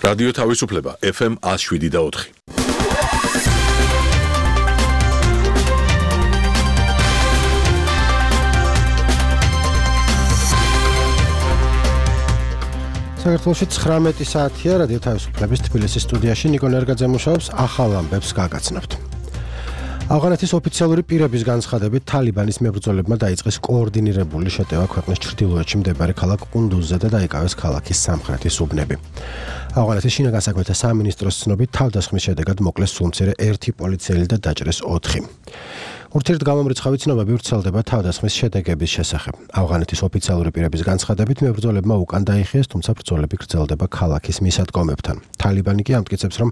რადიო თავისუფლება FM 107.4. საქართველოში 19 საათია რადიო თავისუფლების თბილისის სტუდიაში ნიკო ნერგაძე მუშაობს ახალ ამბებს გაგაცნობთ. ავღანეთის ოფიციალური პირების განცხადებით თალიბანის მებრძოლებმა დაიწყეს კოორდინირებული შეტევა ქვეყნის ჩრდილოეთში მდებარე ქალაქ ყუნდუზზე და დაიკავეს ქალაქის სამხრეთის უბნები. ავღანეთის შინაგან საქმეთა სამინისტროს ცნობით თავდასხმის შედეგად მოკლეს სულმცირე 1 პოლიციელი და დაჭრეს 4. ურთიერთგამომრიცხავი ცნობები ვრცელდება თავდასხმის შედეგების შესახებ. ავღანეთის ოფიციალური პირების განცხადებით მებრძოლებმა უკან დაიხიეს, თუმცა ბრძოლები გრძელდება ქალაქის მისადგომებთან. თალიბანი კი ამტკიცებს, რომ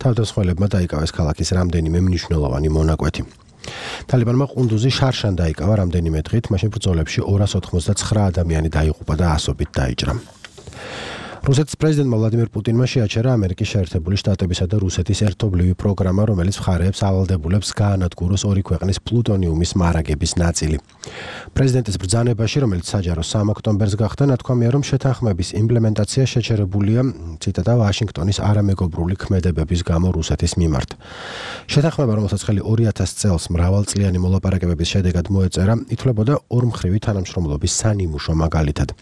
თავდამსხმელებმა დაიკავეს ქალაქის რამდენიმე მნიშვნელოვანი მონაკვეთი. თალიბანმა ყუნდუზი შარშან დაიკავა რამდენიმე დღით, მაშინ ბრძოლებში 289 ადამიანი დაიღუპა და ასობით დაიჭრა. რუსეთის პრეზიდენტმა ვლადიმერ პუტინმა შეაჩერა ამერიკის შეერთებული შტატებისა და რუსეთის ერთობლივი პროგრამა, რომელიც მხარეებს ავალდებულებს გაანადგუროს ორი ქვეყნის პლუტონიუმის მარაგების ნაწილი. პრეზიდენტის ბრძანებაში, რომელიც საჯარო 3 ოქტომბერს გახდა, ნათქვამია, რომ შეთანხმების იმპლემენტაცია შეჩერებულია, ციტატა, ვაშინგტონის არამეგობრული ქმედებების გამო რუსეთის მიმართ. შეთანხმება, რომელსაც ხელი 2000 წელს მრავალწლიანი მოლაპარაკებების შედეგად მოეწერა, ითვლებოდა ორმხრივი თანამშრომლობის სანიმუშო მაგალითად.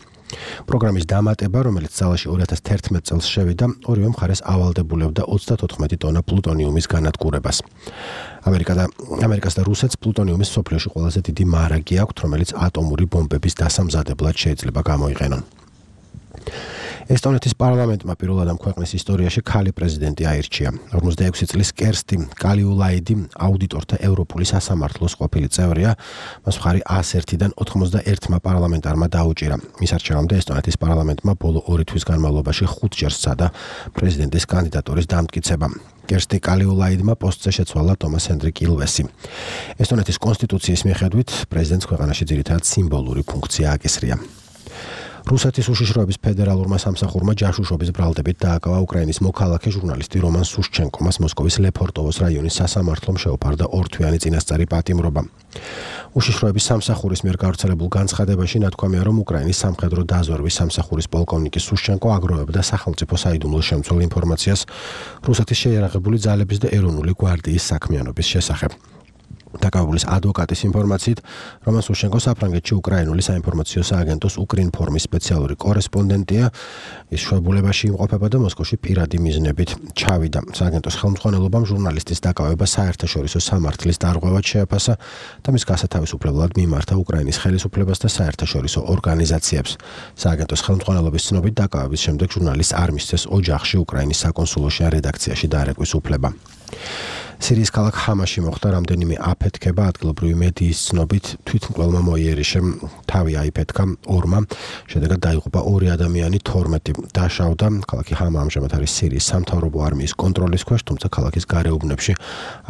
პროგრამის დამატება, რომელიც ძალაში 2011 წელს შევიდა, ორივე მხარეს ავალდებულებდა 34 ტონა პლუტონიუმის განადგურებას. ამერიკას და რუსეთს პლუტონიუმის მსოფლიოში ყველაზე დიდი მარაგი აქვთ, რომელიც ატომური ბომბების დასამზადებლად შეიძლება გამოიყენონ. ესტონეთის პარლამენტმა პირველად ამ ქვეყნის ისტორიაში ქალი პრეზიდენტი აირჩია. 46 წლის კერსტი კალიულაიდი აუდიტორთა ევროპული სასამართლოს ყოფილი წევრია, მას მხარი 101-დან 91 პარლამენტარმა დაუჭირა. მის არჩევამდე ესტონეთის პარლამენტმა ბოლო 2 თვის განმავლობაში 5 სცადა პრეზიდენტის კანდიდატურის დამტკიცება. კერსტი კალიულაიდმა პოსტზე შეცვალა ტომას ჰენდრიკ ილვესი. ესტონეთის კონსტიტუციის მიხედვით პრეზიდენტს ქვეყანაში ძირითადად სიმბოლური ფუნქცია აკისრია. რუსეთის უშიშროების ფედერალურმა სამსახურმა ჯაშუშობის ბრალდებით დააკავა უკრაინის მოქალაქე ჟურნალისტი რომან სუშჩენკო. მას მოსკოვის ლეფორტოვოს რაიონის სასამართლომ შეუპარდა 2 თვიანი წინასწარი პატიმრობა. უშიშროების სამსახურის მიერ გავრცელებულ განცხადებაში ნათქვამია, რომ უკრაინის სამხედრო დაზვერვის სამსახურის პოლკოვნიკი სუშჩენკო აგროვებდა სახელმწიფო საიდუმლოს შემცველ ინფორმაციას რუსეთის შეიარაღებული ძალების და ეროვნული გვარდიის საქმიანობის შესახებ. დაკავებულის ადვოკატის ინფორმაციით, რომან სუშჩენკო საფრანგეთში უკრაინული საინფორმაციო სააგენტოს უკრინფორმის სპეციალური კორესპონდენტია. ის შვებულებაში იმყოფება და მოსკოვში პირადი მიზნებით ჩავიდა. სააგენტოს ხელმძღვანელობამ ჟურნალისტის დაკავება საერთაშორისო სამართლის დარღვევად შეაფასა და მის გასათავისუფლებლად მიმართა უკრაინის ხელისუფლებას და საერთაშორისო ორგანიზაციებს. სააგენტოს ხელმძღვანელობის ცნობით დაკავების შემდეგ ჟურნალისტს არ მისცეს ოჯახში უკრაინის საკონსულოში ან რედაქციაში დარეკვის უფლება. სირიის ქალაქ ჰამაში მოხდა რამდენიმე აფეთქება, ადგილობრივი მედიის ცნობით თვითმკვლელმა მოიერიშემ თავი აიფეთქა 2-მა, შედეგად დაიღუპა 2 ადამიანი, 12 დაშავდა. ქალაქი ჰამა ამჟამად არის სირიის სამთავრობო არმიის კონტროლის ქვეშ, თუმცა ქალაქის გარეუბნებში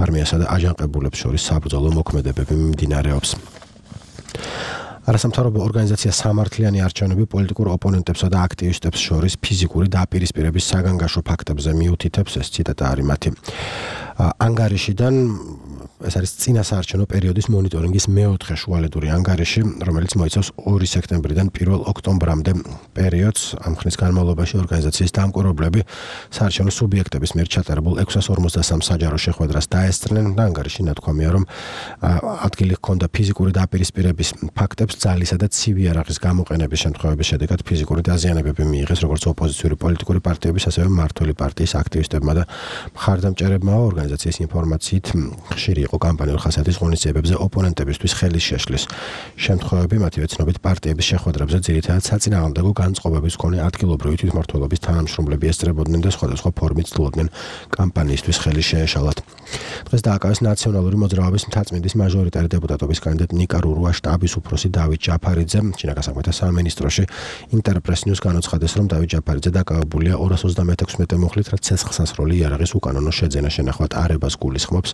არმიასა და აჯანყებულებს შორის საბრძოლო მოქმედებები მიმდინარეობს. არასამთავრობო ორგანიზაცია სამართლიანი არჩევნები პოლიტიკურ ოპონენტებსა და აქტივისტებს შორის ფიზიკური დაპირისპირების საგანგაშო ფაქტებზე მიუთითებს, ეს ციტატა არის მათი. ანგარიშიდან ეს არის წინასაარჩევნო პერიოდის მონიტორინგის 4 შუალედური ანგარიში, რომელიც მოიცავს 2 სექტემბრიდან 1 ოქტომბრამდე პერიოდს. ამ ხნის განმავლობაში ორგანიზაციის დამკვირვებლები საარჩევნო სუბიექტების მიერ ჩატარებულ 653 საჯარო შეხვედრას დაესწრნენ და ანგარიში ნათქვამია, რომ ადგილი ჰქონდა ფიზიკური დაპირისპირების ფაქტებს, ძალისა და ცივი იარაღის გამოყენების შემთხვევების შედეგად ფიზიკური დაზიანებები მიიღეს როგორც ოპოზიციური პოლიტიკური პარტიების, ასევე მმართველი პარტიის აქტივისტებმა და მხარდამჭერებმა. ორგანიზაციის ინფორმაციით ხშირი იყო კამპანიურ ხასიათის ღონისძიებებზე ოპონენტებისთვის ხელის შეშლის შემთხვევები, მათივე ცნობით პარტიების შეხვედრებზე ძირითადად საწინააღმდეგო განწყობების მქონე ადგილობრივი თვითმმართველობის თანამშრომლები ესწრებოდნენ და სხვადასხვა ფორმით ცდილობდნენ კამპანიისთვის ხელი შეეშალათ. დღეს დააკავეს ნაციონალური მოძრაობის მთაწმინდის მაჟორიტარი დეპუტატობის კანდიდატ ნიკა რურუა შტაბის უფროსი დავით ჯაფარიძე. შინაგან საქმეთა სამინისტროში ინტერპრეს ნიუს განუცხადეს, რომ დავით ჯაფარიძე დაკავებულია 236 მუხლით, რაც ცეცხლსასროლი იარაღის უკანონო შეძენა შენახავად არებას გულისხმობს.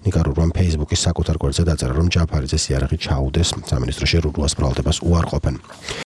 ნიკა რურუამ Facebook-ის საკუთარ გვერდზე დაწერა, რომ ჯაფარიძეს იარაღი ჩაუდეს, სამინისტროში რურუას ბრალდებას უარყოფენ.